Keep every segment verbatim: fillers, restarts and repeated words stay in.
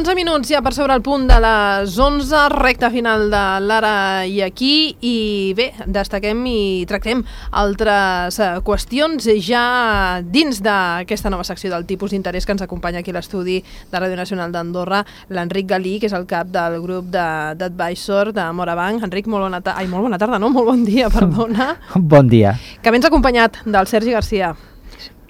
onze minuts ja per sobre el punt de les onze, recta final de l'Ara i Aquí, i bé, destaquem i tractem altres qüestions ja dins d'aquesta nova secció del tipus d'interès que ens acompanya aquí a l'estudi de Ràdio Nacional d'Andorra, l'Enric Galí, que és el cap del grup d'advisor de Morabanc. Enric, molt bona tarda, ai, molt bona tarda, no? Molt bon dia, perdona. Bon dia. Que vens acompanyat del Sergi Garcia.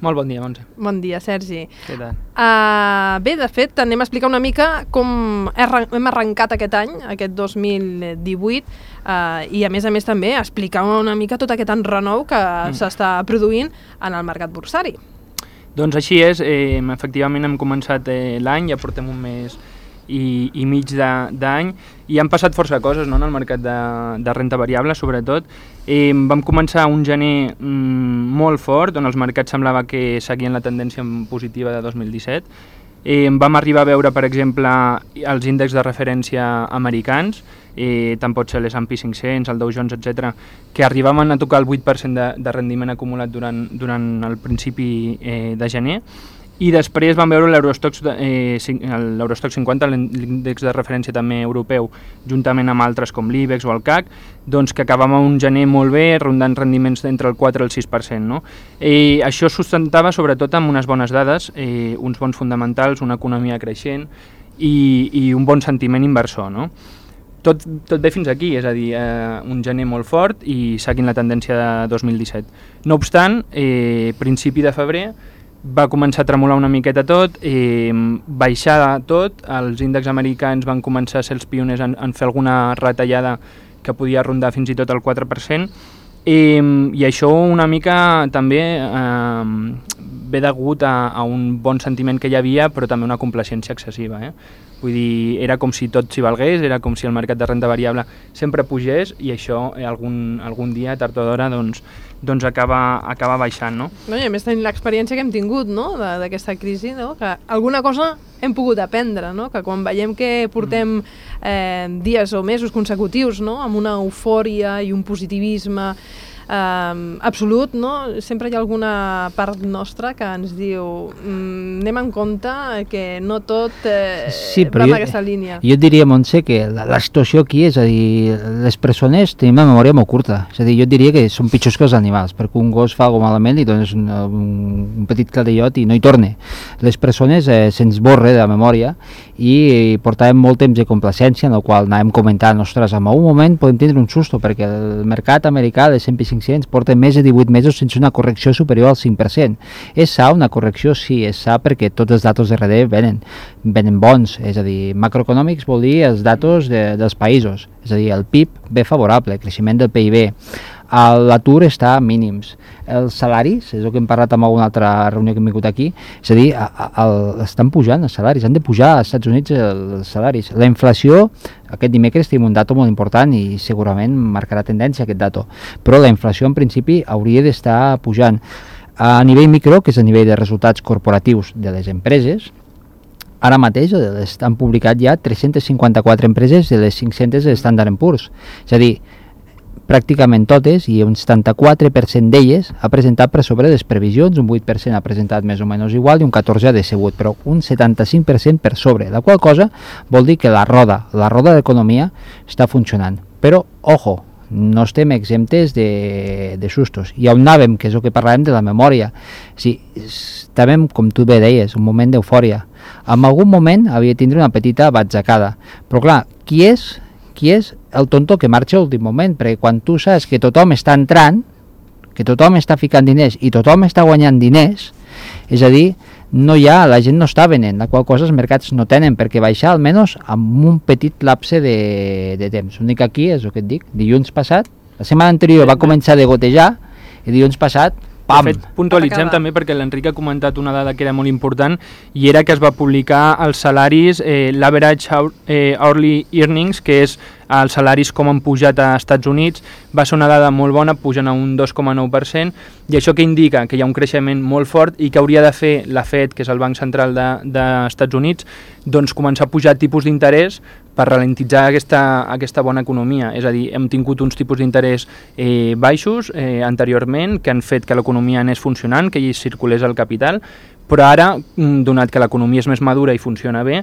Molt bon dia, Montse. Bon dia, Sergi. Què tal? Uh, bé, de fet, anem a explicar una mica com hem arrencat aquest any, aquest dos mil divuit, uh, i a més a més també explicar una mica tot aquest enrenou que mm. s'està produint en el mercat borsari. Doncs així és, eh, efectivament hem començat eh, l'any, ja portem un mes i, i mig d'any, i han passat força coses, no?, en el mercat de, de renta variable, sobretot. Eh, vam començar un gener mm, molt fort, on els mercats semblava que seguien la tendència positiva de dos mil disset. Eh, vam arribar a veure, per exemple, els índexs de referència americans, eh, tant pot ser l'S and P cinc-cents, el Dow Jones, etcètera, que arribaven a tocar el vuit per cent de, de rendiment acumulat durant, durant el principi eh, de gener. I després vam veure l'Eurostoxx eh, cinquanta, l'índex de referència també europeu, juntament amb altres com l'I BEX o el C A C, doncs que acabàvem un gener molt bé, rondant rendiments entre el quatre i el sis per cent. No? Eh, això sustentava sobretot amb unes bones dades, eh, uns bons fonamentals, una economia creixent i, i un bon sentiment inversor. No? Tot, tot bé fins aquí, és a dir, eh, un gener molt fort i seguint la tendència de dos mil disset. No obstant, eh, principi de febrer, va començar a tremolar una miqueta tot, eh, baixar tot, els índexs americans van començar a ser els pioners en, en fer alguna retallada que podia rondar fins i tot el quatre per cent, eh, i això una mica també eh, ve degut a, a un bon sentiment que hi havia, però també una complacència excessiva. Eh? Vull dir, era com si tot s'hi valgués, era com si el mercat de renta variable sempre pugés, i això eh, algun, algun dia, tard o d'hora, doncs, doncs acaba, acaba baixant, no? No, i a més tenim l'experiència que hem tingut, no?, d'aquesta crisi, no?, que alguna cosa hem pogut aprendre, no?, que quan veiem que portem eh, dies o mesos consecutius, no?, amb una eufòria i un positivisme eh, absolut, no?, sempre hi ha alguna part nostra que ens diu mm, anem en compte que no tot eh, sí, va en aquesta línia. Jo diria, Montse, que la, la situació aquí és a dir, les persones tenim una memòria molt curta, és a dir, jo diria que són pitjors que els animals, perquè un gos fa alguna malament i dones un, un, un petit clatellot i no hi torna. Les persones eh, se'ns borra de la memòria i, i portàvem molt temps de complacència en el qual anàvem comentant, ostres, en un moment podem tindre un susto perquè el mercat americà de S and P cinc-cents porta més de divuit mesos sense una correcció superior al cinc per cent. És sa una correcció? Sí, és sa perquè tots els datos de darrere venen, venen bons, és a dir, macroeconòmics vol dir els datos de, dels països, és a dir, el P I B ve favorable, el creixement del P I B, l'atur està a mínims, els salaris, és el que hem parlat en alguna altra reunió que hem vingut aquí, és a dir, a, a, a, estan pujant els salaris, han de pujar als Estats Units els salaris. La inflació, aquest dimecres tenim un dato molt important i segurament marcarà tendència aquest dato, però la inflació en principi hauria d'estar pujant. A nivell micro, que és a nivell de resultats corporatius de les empreses, ara mateix han publicat ja tres-centes cinquanta-quatre empreses de les cinc-centes de Standard and Poor's, és a dir, pràcticament totes, i un setanta-quatre per cent d'elles ha presentat per sobre les previsions, un vuit per cent ha presentat més o menys igual i un catorze per cent ha decebut, però un setanta-cinc per cent per sobre, la qual cosa vol dir que la roda, la roda d'economia està funcionant. Però, ojo, no estem exemptes de, de sustos. I on anàvem, que és el que parlàvem de la memòria, sí, estàvem, com tu bé deies, un moment d'eufòria. En algun moment havia de tindre una petita batzacada, però clar, qui és qui és el tonto que marxa a l'últim moment, perquè quan tu saps que tothom està entrant, que tothom està ficant diners i tothom està guanyant diners, és a dir, no hi ha, la gent no està venent, la qual cosa els mercats no tenen perquè baixar almenys amb un petit lapse de, de temps. L'únic aquí és el que et dic, dilluns passat, la setmana anterior va començar a gotejar i dilluns passat, pam! De fet, puntualitzem també perquè l'Enric ha comentat una dada que era molt important i era que es va publicar els salaris, eh, l'average eh, hourly earnings, que és els salaris com han pujat a Estats Units, va ser una dada molt bona, pugen a un dos coma nou per cent, i això que indica que hi ha un creixement molt fort i que hauria de fer la Fed, que és el Banc Central dels de, Estats Units, doncs començar a pujar tipus d'interès per ralentitzar aquesta, aquesta bona economia. És a dir, hem tingut uns tipus d'interès eh, baixos eh, anteriorment que han fet que l'economia anés funcionant, que hi circulés el capital, però ara, donat que l'economia és més madura i funciona bé,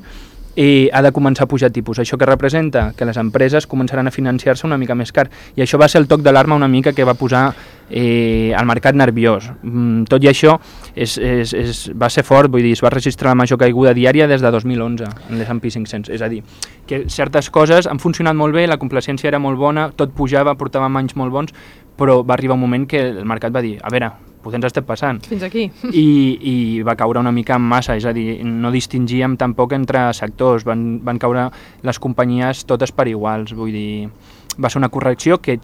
eh, ha de començar a pujar tipus. Això que representa que les empreses començaran a financiar-se una mica més car. I això va ser el toc d'alarma una mica que va posar eh, el mercat nerviós. Mm, tot i això és, és, és, va ser fort, vull dir, es va registrar la major caiguda diària des de dos mil onze en l'S and P cinc-cents. És a dir, que certes coses han funcionat molt bé, la complacència era molt bona, tot pujava, portàvem anys molt bons, però va arribar un moment que el mercat va dir, a veure, potser ens estem passant. Fins aquí. I, i va caure una mica en massa, és a dir, no distingíem tampoc entre sectors, van, van caure les companyies totes per iguals, vull dir, va ser una correcció que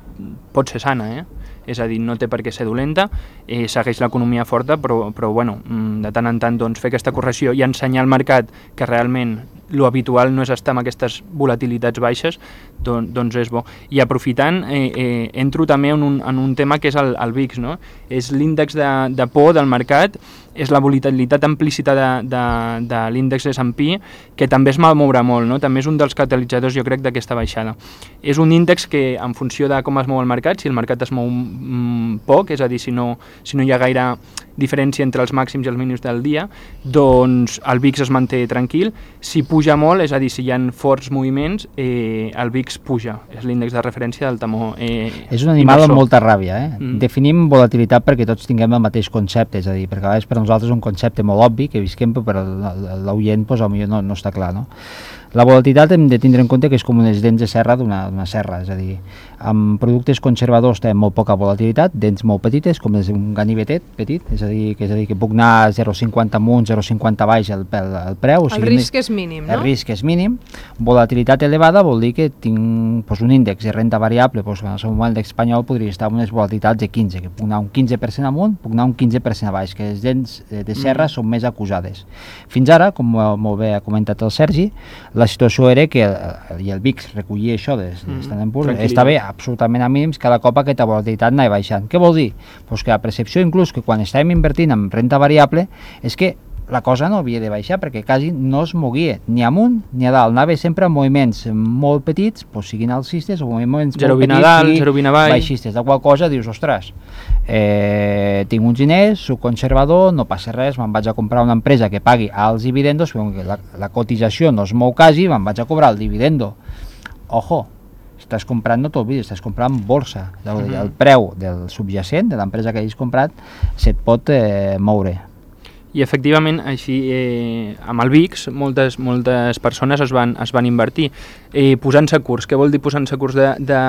pot ser sana, eh? És a dir, no té per què ser dolenta, eh, segueix l'economia forta, però, però bueno, de tant en tant doncs, fer aquesta correcció i ensenyar al mercat que realment lo habitual no és estar amb aquestes volatilitats baixes, doncs, doncs és bo. I aprofitant, eh, eh, entro també en un, en un tema que és el, el V I X, no? És l'índex de, de por del mercat, és la volatilitat implícita de, de, de l'índex S and P, que també es va moure molt, no? També és un dels catalitzadors, jo crec, d'aquesta baixada. És un índex que, en funció de com es mou el mercat, si el mercat es mou mm, poc, és a dir, si no, si no hi ha gaire diferència entre els màxims i els mínims del dia, doncs el V I X es manté tranquil. Si puja molt, és a dir, si hi ha forts moviments, eh, el V I X puja. És l'índex de referència del temor eh, És un animal inversor. amb molta ràbia, eh? Mm. Definim volatilitat perquè tots tinguem el mateix concepte, és a dir, perquè a vegades per nosaltres és un concepte molt obvi que visquem, però l'oient pues, potser no, no està clar, no? La volatilitat hem de tindre en compte que és com unes dents de serra d'una serra, és a dir, amb productes conservadors té molt poca volatilitat, dents molt petites, com és un ganivetet petit, és a dir, que, és a dir, que puc anar zero coma cinquanta amunt, zero coma cinquanta baix el, el, el preu. O sigui, el risc és mínim, no? El risc és mínim. Volatilitat elevada vol dir que tinc pues, un índex de renda variable, pues, en el seu moment l'espanyol podria estar amb unes volatilitats de quinze, que puc anar un quinze per cent amunt, puc anar un quinze per cent a baix, que les dents de serra mm. són més acusades. Fins ara, com molt bé ha comentat el Sergi, la situació era que el, i el V I X recollia això des, mm. des d'en Poor's, estava absolutament a mínims, cada cop aquesta volatilitat anava baixant. Què vol dir? Pues que la percepció inclús que quan estàvem invertint en renta variable és que la cosa no havia de baixar perquè quasi no es moguia ni amunt ni a dalt, anava sempre en moviments molt petits, pues, siguin alcistes o moviments zero molt petits, dalt, zero vint a baix. baixistes, de qual cosa dius, ostres, eh, tinc uns diners, soc conservador, no passa res, me'n vaig a comprar una empresa que pagui alts dividendos, perquè la, la cotització no es mou quasi, me'n vaig a cobrar el dividendo. Ojo, estàs comprant, no t'olvidis, estàs comprant borsa, el, mm -hmm. el preu del subjacent de l'empresa que hagis comprat se't pot eh, moure. I efectivament, així, eh, amb el V I X, moltes, moltes persones es van, es van invertir eh, posant-se curs. Què vol dir posant-se curs de, de,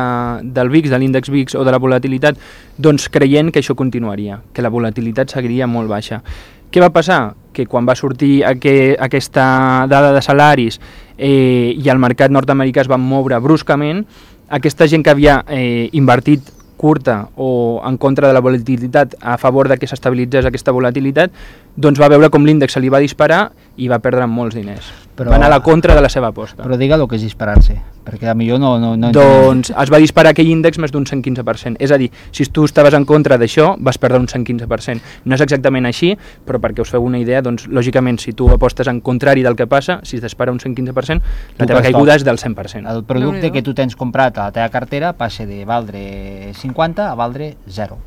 del V I X, de l'índex V I X o de la volatilitat? Doncs creient que això continuaria, que la volatilitat seguiria molt baixa. Què va passar? Que quan va sortir aqu aquesta dada de salaris eh, i el mercat nord-americà es va moure bruscament, aquesta gent que havia eh, invertit curta o en contra de la volatilitat a favor de que s'estabilitzés aquesta volatilitat, doncs va veure com l'índex se li va disparar i va perdre molts diners. Però, va anar a la contra de la seva aposta. Però digue el que és disparar-se, perquè a millor no... no, no doncs es va disparar aquell índex més d'un cent quinze per cent. És a dir, si tu estaves en contra d'això, vas perdre un cent quinze per cent. No és exactament així, però perquè us feu una idea, doncs lògicament si tu apostes en contrari del que passa, si es dispara un cent quinze per cent, la teva caiguda és del cent per cent. El producte que tu tens comprat a la teva cartera passa de valdre cinquanta a valdre zero.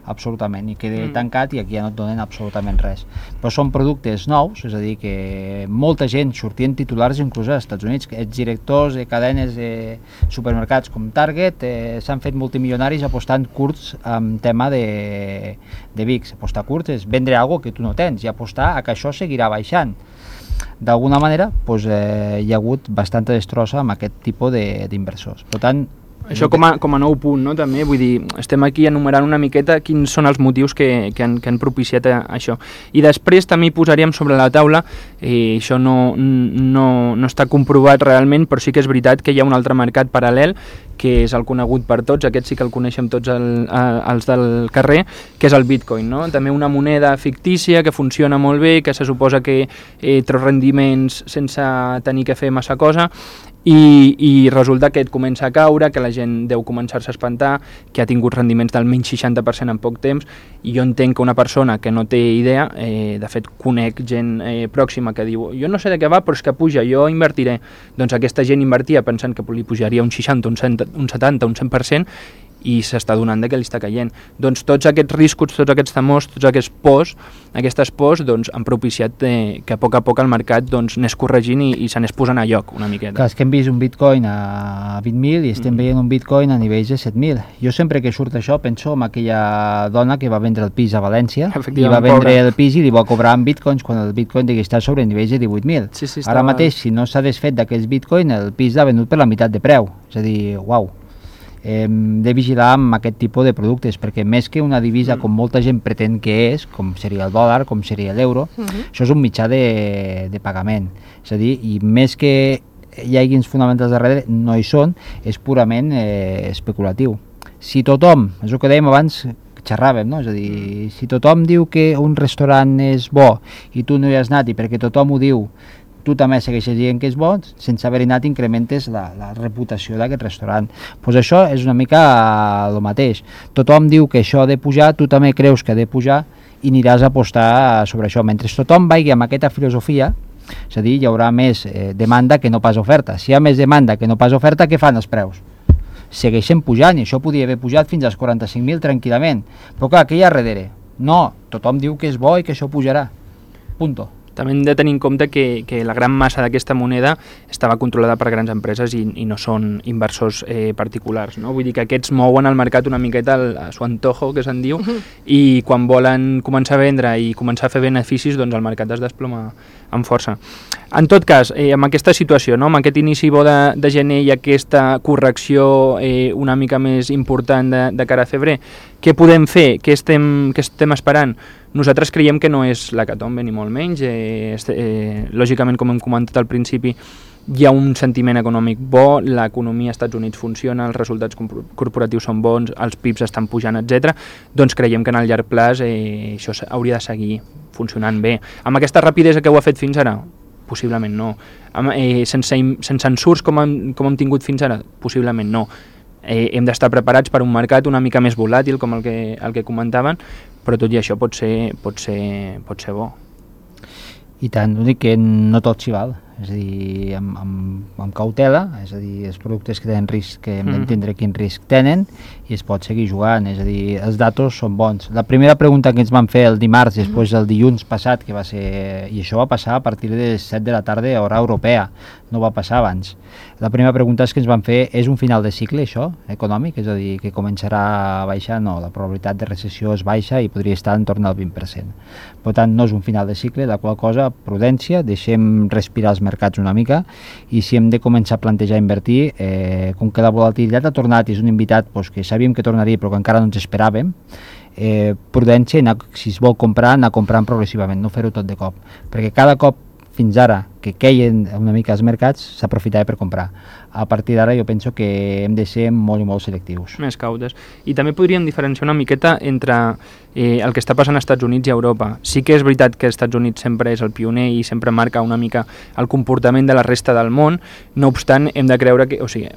Absolutament, i queda mm. tancat i aquí ja no et donen absolutament res. Però són productes nous, és a dir, que molta gent sortien titulars inclús als Estats Units, els directors de cadenes de supermercats com Target eh, s'han fet multimilionaris apostant curts en tema de, de V I X. Apostar curts és vendre alguna que tu no tens i apostar a que això seguirà baixant. D'alguna manera, doncs, eh, hi ha hagut bastanta destrossa amb aquest tipus d'inversors. Per tant, això com a, com a nou punt, no? També, vull dir, estem aquí enumerant una miqueta quins són els motius que, que, han, que han propiciat això. I després també hi posaríem sobre la taula, i això no, no, no està comprovat realment, però sí que és veritat que hi ha un altre mercat paral·lel, que és el conegut per tots, aquest sí que el coneixem tots el, els del carrer, que és el Bitcoin, no? També una moneda fictícia que funciona molt bé, que se suposa que eh, treu rendiments sense tenir que fer massa cosa, I, i resulta que et comença a caure, que la gent deu començar-se a espantar, que ha tingut rendiments del menys seixanta per cent en poc temps, i jo entenc que una persona que no té idea, eh, de fet conec gent eh, pròxima que diu jo no sé de què va però és que puja, jo invertiré, doncs aquesta gent invertia pensant que li pujaria un seixanta, un setanta, un cent per cent i s'està donant que li està caient. Doncs tots aquests riscos, tots aquests temors, tots aquests pors, aquestes pors doncs, han propiciat eh, que a poc a poc el mercat doncs, n'és corregint i, i se n'és posant a lloc una miqueta. Clar, és que hem vist un bitcoin a vint mil i estem mm. veient un bitcoin a nivells de set mil. Jo sempre que surt això penso en aquella dona que va vendre el pis a València i va vendre pobre. el pis i li va cobrar en bitcoins quan el bitcoin digui estar sobre nivells de divuit mil. Sí, sí, Ara mateix, si no s'ha desfet d'aquests bitcoin, el pis l'ha venut per la meitat de preu. És a dir, uau. Hem de vigilar amb aquest tipus de productes perquè més que una divisa mm. com molta gent pretén que és, com seria el dòlar, com seria l'euro, mm-hmm. això és un mitjà de, de pagament. És a dir, i més que hi hagi uns fonamentals darrere, no hi són, és purament eh, especulatiu. Si tothom, és el que dèiem abans, xerràvem, no? És a dir, si tothom diu que un restaurant és bo i tu no hi has anat i perquè tothom ho diu, tu també segueixes dient que és bo, sense haver anat incrementes la, la reputació d'aquest restaurant. Pues això és una mica el mateix. Tothom diu que això ha de pujar, tu també creus que ha de pujar i aniràs a apostar sobre això. Mentre tothom vagi amb aquesta filosofia, és a dir, hi haurà més eh, demanda que no pas oferta. Si hi ha més demanda que no pas oferta, què fan els preus? Segueixen pujant i això podria haver pujat fins als quaranta-cinc mil tranquil·lament. Però clar, què hi ha darrere? No, tothom diu que és bo i que això pujarà. Punto. També hem de tenir en compte que, que la gran massa d'aquesta moneda estava controlada per grans empreses i, i no són inversors eh, particulars, no? Vull dir que aquests mouen el mercat una miqueta al, a su antojo, que se'n diu, i quan volen començar a vendre i començar a fer beneficis, doncs el mercat es desploma amb força. En tot cas, eh, amb aquesta situació, no? Amb aquest inici bo de, de gener i aquesta correcció eh, una mica més important de, de cara a febrer, què podem fer? Què estem, què estem esperant? Nosaltres creiem que no és l'hecatombe ni molt menys. Eh, eh, lògicament, com hem comentat al principi, hi ha un sentiment econòmic bo, l'economia als Estats Units funciona, els resultats corporatius són bons, els P I Bs estan pujant, etcètera. Doncs creiem que en el llarg plaç eh, això hauria de seguir funcionant bé. Amb aquesta rapidesa que ho ha fet fins ara? Possiblement no. Amb, eh, sense, sense ensurts com hem, com hem tingut fins ara? Possiblement no. Eh, hem d'estar preparats per un mercat una mica més volàtil, com el que, el que comentaven, però tot i això pot ser, pot ser, pot ser bo. I tant, l'únic que no tot s'hi val, és a dir, amb, amb, amb cautela, és a dir, els productes que tenen risc, que hem d'entendre quin risc tenen, i es pot seguir jugant, és a dir, els datos són bons. La primera pregunta que ens van fer el dimarts, després del dilluns passat, que va ser, i això va passar a partir de les set de la tarda a hora europea, no va passar abans. La primera pregunta és que ens van fer, és un final de cicle això, econòmic? És a dir, que començarà a baixar? No, la probabilitat de recessió és baixa i podria estar en torn al vint per cent. Per tant, no és un final de cicle, la qual cosa, prudència, deixem respirar els mercats una mica i si hem de començar a plantejar invertir, eh, com que la volatilitat ha tornat i és un invitat pues, que sabíem que tornaria però que encara no ens esperàvem, eh, prudència, anar, si es vol comprar, anar comprant progressivament, no fer-ho tot de cop, perquè cada cop fins ara que queien una mica els mercats s'aprofitava per comprar. A partir d'ara jo penso que hem de ser molt i molt selectius. Més cautes. I també podríem diferenciar una miqueta entre eh, el que està passant als Estats Units i a Europa. Sí que és veritat que els Estats Units sempre és el pioner i sempre marca una mica el comportament de la resta del món, no obstant hem de creure que, o sigui,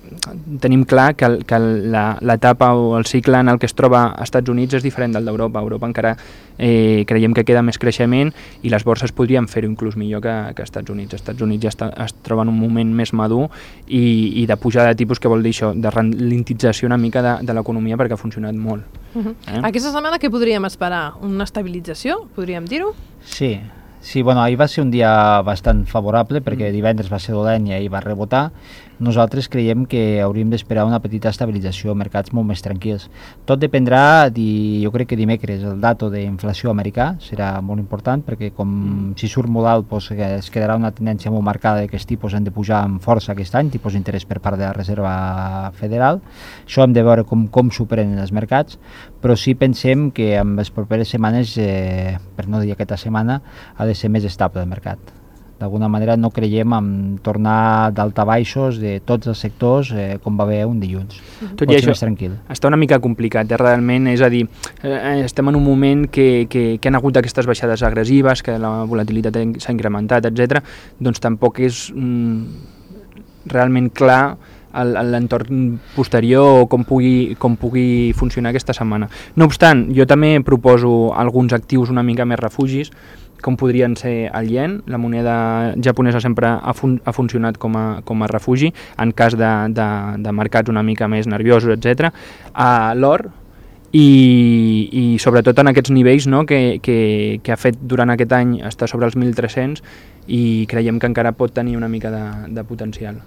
tenim clar que, el, que l'etapa o el cicle en el que es troba als Estats Units és diferent del d'Europa. A Europa encara eh, creiem que queda més creixement i les borses podrien fer-ho inclús millor que, que als Estats Units. Els Estats Units ja està, es troba en un moment més madur i, i de pujada de tipus, que vol dir això, de ralentització una mica de, de l'economia perquè ha funcionat molt. Uh-huh. eh? Aquesta setmana què podríem esperar? Una estabilització, podríem dir-ho? Sí, sí, bueno, ahir va ser un dia bastant favorable perquè divendres va ser dolent i ahir va rebotar. Nosaltres creiem que hauríem d'esperar una petita estabilització, mercats molt més tranquils. Tot dependrà, di, jo crec que dimecres, el dato d'inflació americà serà molt important, perquè com mm. si surt molt alt doncs, es quedarà una tendència molt marcada que els tipus han de pujar amb força aquest any, tipus d'interès per part de la Reserva Federal. Això hem de veure com, com s'ho prenen els mercats, però sí pensem que en les properes setmanes, eh, per no dir aquesta setmana, ha de ser més estable el mercat. D'alguna manera no creiem en tornar d'altabaixos de tots els sectors eh, com va haver un dilluns. Tot i això està una mica complicat, eh, realment, és a dir, eh, estem en un moment que, que, que han hagut aquestes baixades agressives, que la volatilitat s'ha incrementat, etcètera. Doncs tampoc és mm, realment clar l'entorn posterior o com pugui, com pugui funcionar aquesta setmana. No obstant, jo també proposo alguns actius una mica més refugis, com podrien ser el yen. La moneda japonesa sempre ha, fun ha funcionat com a, com a refugi en cas de, de, de mercats una mica més nerviosos, etcètera. Uh, L'or, i, i sobretot en aquests nivells, no, que, que, que ha fet durant aquest any està sobre els mil tres-cents i creiem que encara pot tenir una mica de, de potencial.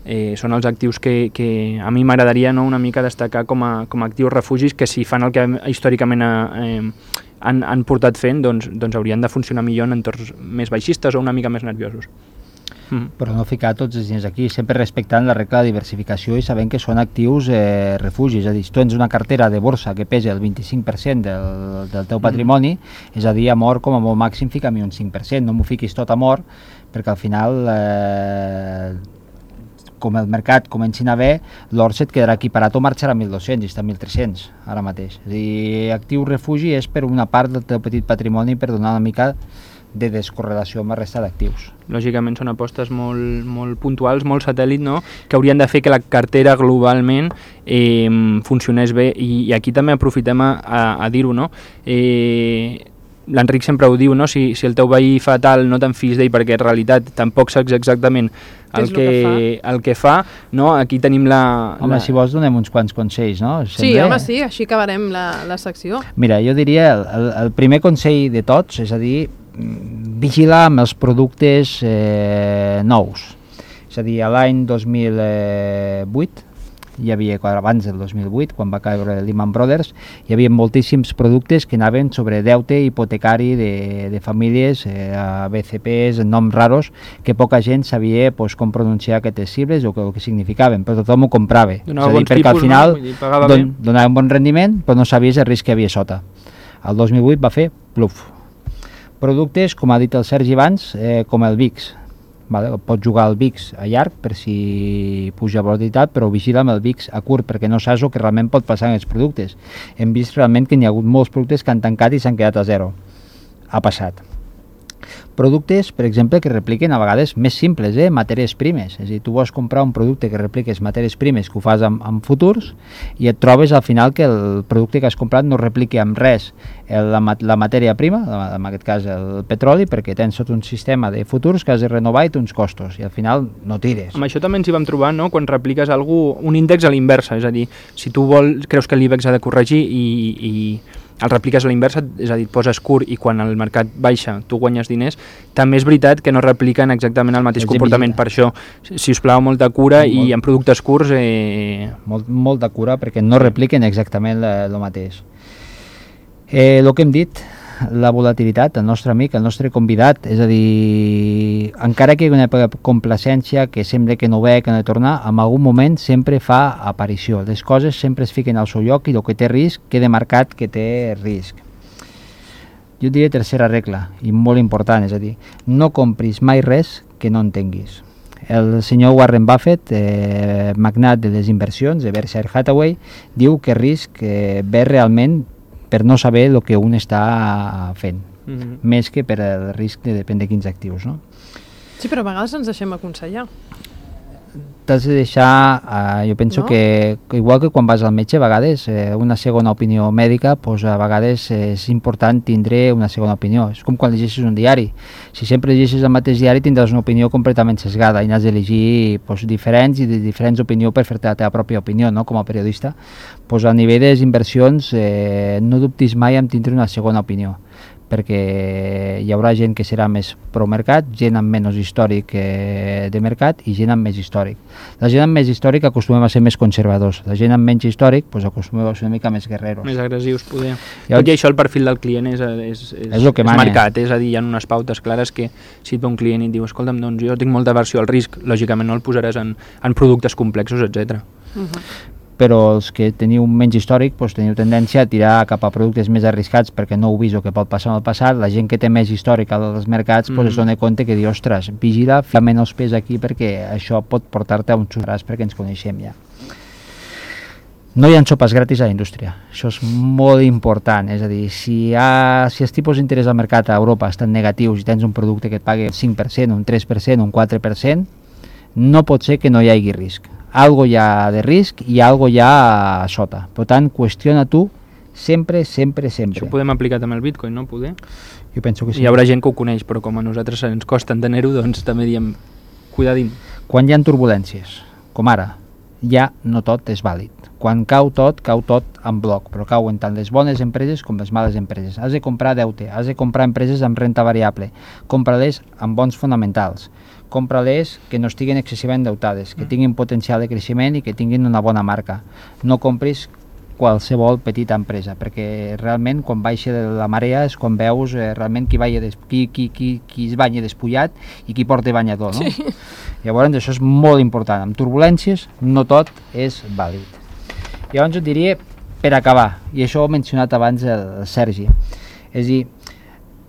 Eh, són els actius que, que a mi m'agradaria, no, una mica destacar com a, com a actius refugis, que si fan el que històricament eh, han, han portat fent, doncs, doncs haurien de funcionar millor en entorns més baixistes o una mica més nerviosos. Mm. Però no ficar tots els diners aquí, sempre respectant la regla de diversificació i sabent que són actius eh, refugis. És a dir, si tu tens una cartera de borsa que pesa el vint-i-cinc per cent del, del teu patrimoni, mm. és a dir, a mort com a molt màxim fica-m'hi un cinc per cent, no m'ho fiquis tot a mort, perquè al final, eh, com el mercat comenci a anar bé, l'or se't quedarà equiparat o marxarà a mil dos-cents i està a mil tres-cents ara mateix. És a dir, actiu refugi és per una part del teu petit patrimoni per donar una mica de descorrelació amb la resta d'actius. Lògicament són apostes molt, molt puntuals, molt satèl·lit, no? Que haurien de fer que la cartera globalment eh, funcionés bé, i, i aquí també aprofitem a, a, a dir-ho, no? Eh, L'Enric sempre ho diu, no? Si, si el teu veí fa tal, no te'n fiïs d'ell, perquè en realitat tampoc saps exactament el que, que, el que fa, no? Aquí tenim la... Home, la... si vols donem uns quants consells, no? Sembla... Sí, home, sí, així acabarem la, la secció. Mira, jo diria, el, el, el primer consell de tots, és a dir, vigilar amb els productes eh, nous. És a dir, l'any dos mil vuit, hi havia, abans del dos mil vuit, quan va caure Lehman Brothers, hi havia moltíssims productes que anaven sobre deute hipotecari de, de famílies, eh, B C Ps, noms raros, que poca gent sabia pues, com pronunciar aquestes sigles o que, o que significaven, però tothom ho comprava. Donava és a dir, bons perquè tipus, al final no? don, donava un bon rendiment, però no sabies el risc que hi havia sota. El dos mil vuit va fer pluf. Productes, com ha dit el Sergi abans, eh, com el V I X. Vale? Pots jugar al V I X a llarg per si puja volatilitat, però vigila amb el V I X a curt, perquè no saps el que realment pot passar en els productes. Hem vist realment que n'hi ha hagut molts productes que han tancat i s'han quedat a zero. Ha passat. Productes, per exemple, que repliquen a vegades més simples, eh? matèries primes. És a dir, tu vols comprar un producte que repliques matèries primes que ho fas amb, amb futurs i et trobes al final que el producte que has comprat no repliqui amb res el, la, la matèria prima, en aquest cas el petroli, perquè tens tot un sistema de futurs que has de renovar i té uns costos i al final no tires. Amb això també ens hi vam trobar, no? Quan repliques algú, un índex a l'inversa, és a dir, si tu vol, creus que l'IBEX ha de corregir i, i el repliques a la inversa, és a dir, poses curt i quan el mercat baixa tu guanyes diners, també és veritat que no repliquen exactament el mateix comportament. Per això, si us plau, molta cura molt, i en productes curts... Eh... Molt, molta cura perquè no repliquen exactament el mateix. Eh, el que hem dit, la volatilitat, el nostre amic, el nostre convidat, és a dir, encara que hi hagi una complacència que sembla que no ve, que no ha de tornar, en algun moment sempre fa aparició. Les coses sempre es fiquen al seu lloc i el que té risc queda marcat que té risc. Jo diria tercera regla, i molt important, és a dir, no compris mai res que no entenguis. El senyor Warren Buffett, eh, magnat de les inversions de Berkshire Hathaway, diu que risc eh, ve realment per no saber el que un està fent, mm-hmm. més que per el risc de depèn de quins actius, no? Sí, però a vegades ens deixem aconsellar. T'has de deixar, eh, jo penso no? que, que igual que quan vas al metge, a vegades eh, una segona opinió mèdica, pues, a vegades eh, és important tindre una segona opinió. És com quan llegeixes un diari. Si sempre llegeixes el mateix diari tindràs una opinió completament sesgada i n'has d'elegir pues, diferents i de diferents opinions per fer-te la teva pròpia opinió, no? Com a periodista. Pues, a nivell de les inversions eh, no dubtis mai en tindre una segona opinió, perquè hi haurà gent que serà més pro-mercat, gent amb menys històric eh, de mercat i gent amb més històric. La gent amb més històric acostumem a ser més conservadors, la gent amb menys històric pues, acostumem a ser una mica més guerreros. Més agressius, poder. Llavors, tot i això el perfil del client és, és, és, és, és marcat, és a dir, hi ha unes pautes clares que si et ve un client i et diu, escolta'm, doncs jo tinc molta aversió al risc, lògicament no el posaràs en, en productes complexos, etcètera. Uh-huh. Però els que teniu menys històric doncs teniu tendència a tirar cap a productes més arriscats perquè no heu vist el que pot passar en el passat. La gent que té més històric als mercats mm-hmm. doncs es dona compte que diu, ostres, vigila, fica menys pes aquí perquè això pot portar-te a un xurràs perquè ens coneixem ja. No hi ha sopes gratis a la indústria, això és molt important, és a dir, si, ha, si els tipus d'interès al mercat a Europa estan negatius i tens un producte que et pagui cinc per cent, un tres per cent, un quatre per cent, no pot ser que no hi hagi risc. Algo hi ha de risc i algo hi ha a sota. Per tant, qüestiona tu Sempre, sempre, sempre. Això ho podem aplicar també al Bitcoin, no? Poder? Jo penso que sí. Hi haurà gent que ho coneix, però com a nosaltres ens costa entenir-ho, doncs també diem, cuidadín. Quan hi ha turbulències, com ara, ja no tot és vàlid. Quan cau tot, cau tot en bloc, però cauen tant les bones empreses com les males empreses. Has de comprar deute, has de comprar empreses amb renta variable, compra-les amb bons fonamentals, compra-les que no estiguin excessivament endeutades, que tinguin potencial de creixement i que tinguin una bona marca. No compris qualsevol petita empresa, perquè realment quan baixa de la marea és quan veus eh, realment qui, des, qui, qui, qui, qui es banya despullat i qui porta banyador, no? Sí. Llavors això és molt important. Amb turbulències no tot és vàlid. Llavors jo diria, per acabar, i això ho ha mencionat abans el Sergi, és a dir,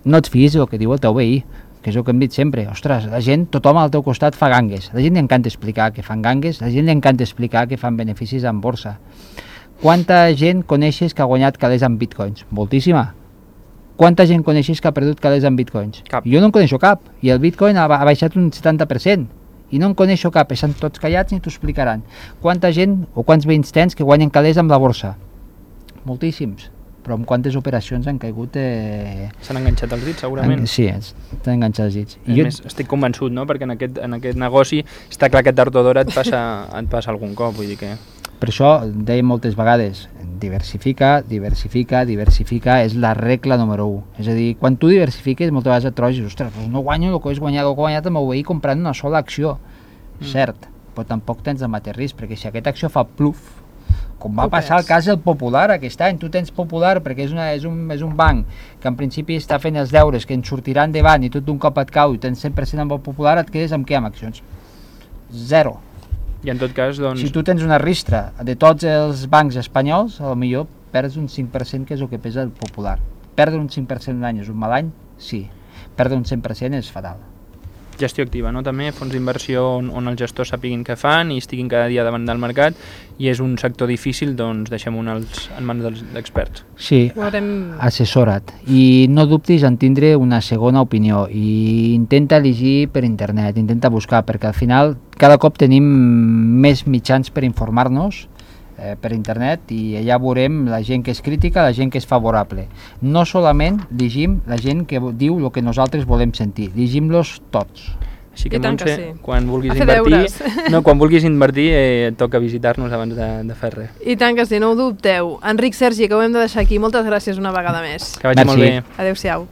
no et fiïs del que diu el teu veí, que és el que hem dit sempre. Ostres, la gent, tothom al teu costat fa gangues. A la gent li encanta explicar que fan gangues, a la gent li encanta explicar que fan beneficis en borsa. Quanta gent coneixes que ha guanyat calés en bitcoins? Moltíssima. Quanta gent coneixes que ha perdut calés en bitcoins? Cap. Jo no en coneixo cap. I el bitcoin ha, ha baixat un setanta per cent. I no en coneixo cap. Estan tots callats i t'ho explicaran. Quanta gent o quants veïns tens que guanyen calés amb la borsa? Moltíssims. Però amb quantes operacions han caigut... Eh... S'han enganxat els dits, segurament. En, sí, estan enganxats els dits. I jo... més, estic convençut, no? Perquè en aquest, en aquest negoci està clar que tard o d'hora et passa, et passa algun cop, vull dir que... Per això deia moltes vegades, diversifica, diversifica, diversifica, és la regla número u. És a dir, quan tu diversifiques, moltes vegades et trobes, ostres, doncs no guanyo el que he guanyat, el que he guanyat amb el veí comprant una sola acció. Mm. Cert, però tampoc tens el mateix risc, perquè si aquesta acció fa pluf, com va passar el cas del Popular aquest any, tu tens Popular perquè és, una, és, un, és un banc que en principi està fent els deures, que en sortirà endavant i tot d'un cop et cau i tens cent per cent amb el Popular, et quedes amb què? Amb accions? Zero. I en tot cas, doncs... Si tu tens una ristra de tots els bancs espanyols, a lo millor perds un cinc per cent, que és el que pesa el Popular. Perdre un cinc per cent un any és un mal any? Sí. Perdre un cent per cent és fatal. Gestió activa, no? També fons d'inversió on, on els gestors sapiguin què fan i estiguin cada dia davant del mercat, i és un sector difícil, doncs deixem-ho en, els, en mans dels experts. Sí, Haurem... assessora't. I no dubtis en tindre una segona opinió i intenta llegir per internet, intenta buscar, perquè al final cada cop tenim més mitjans per informar-nos eh, per internet, i allà veurem la gent que és crítica, la gent que és favorable. No solament llegim la gent que diu el que nosaltres volem sentir, llegim-los tots. Així que, Montse, que sí. quan vulguis a invertir, no, quan vulguis invertir eh, et toca visitar-nos abans de, de fer res. I tant que sí, no ho dubteu. Enric, Sergi, que ho hem de deixar aquí. Moltes gràcies una vegada més. Que vagi Merci. molt bé. Adéu-siau.